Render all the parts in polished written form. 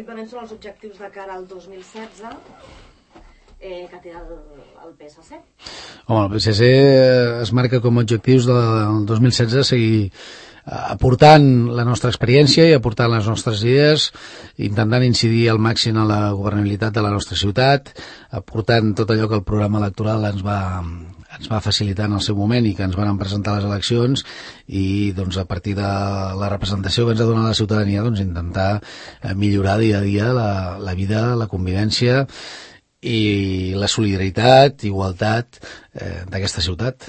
simplement són els objectius de cara al 2016 que té el PSC. Home, el PSC es marca com a objectius del 2016 seguir aportant la nostra experiència i aportant les nostres idees, intentant incidir al màxim a la governabilitat de la nostra ciutat, aportant tot allò que el programa electoral ens va facilitar en el seu moment i que ens van presentar les eleccions, i doncs a partir de la representació que ens ha donat la ciutadania, doncs intentar millorar dia a dia la vida, la convivència i la solidaritat, igualtat d'aquesta ciutat.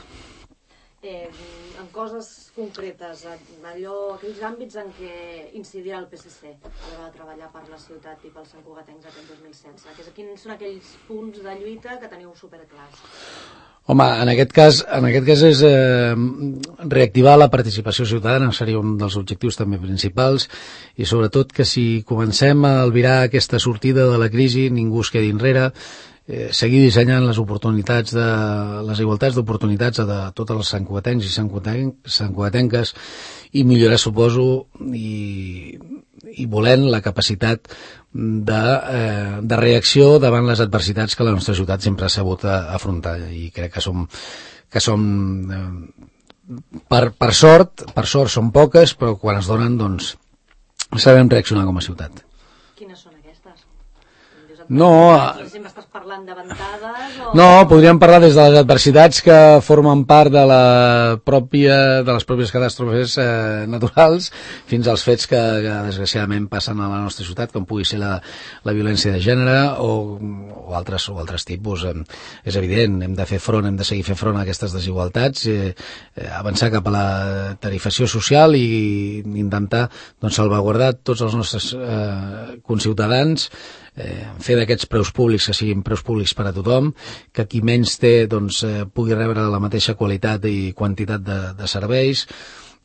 En coses concretes, aquells àmbits en què incidirà el PSC a l'hora de treballar per la ciutat i pels santcugatencs aquest 2016? Quins són aquells punts de lluita que teniu superclars? Home, en aquest cas és reactivar la participació ciutadana, seria un dels objectius també principals, i sobretot que si comencem a albirar aquesta sortida de la crisi ningú es quedi enrere, seguir dissenyant les igualtats d'oportunitats de tots els santcugatencs i santcugatenques, i millorar, suposo, i volent la capacitat de reacció davant les adversitats que la nostra ciutat sempre ha sabut afrontar, i crec que som per sort són poques, però quan es donen doncs sabem reaccionar com a ciutat. Quines són aquestes? No, estàs parlant de ventades o... No, podríem parlar des de les adversitats que formen part de les pròpies catàstrofes naturals fins als fets que desgraciadament passen a la nostra ciutat, com pugui ser la violència de gènere o altres tipus. És evident, hem de fer front, hem de seguir fent front a aquestes desigualtats, avançar cap a la tarifació social i intentar salvaguardar tots els nostres conciutadans, fer d'aquests preus públics que siguin preus públics per a tothom, que qui menys té pugui rebre la mateixa qualitat i quantitat de serveis,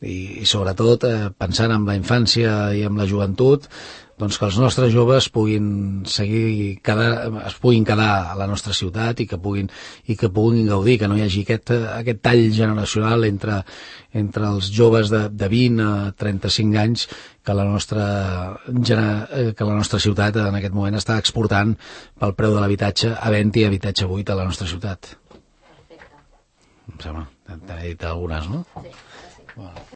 i sobretot pensant en la infància i en la joventut, doncs que els nostres joves es puguin quedar a la nostra ciutat i que puguin gaudir, que no hi hagi aquest tall generacional entre els joves de 20 a 35 anys que la nostra ciutat en aquest moment està exportant pel preu de l'habitatge, havent-hi habitatge buit a la nostra ciutat. Perfecte. Em sembla, t'he dit algunes, no? Sí. Bueno.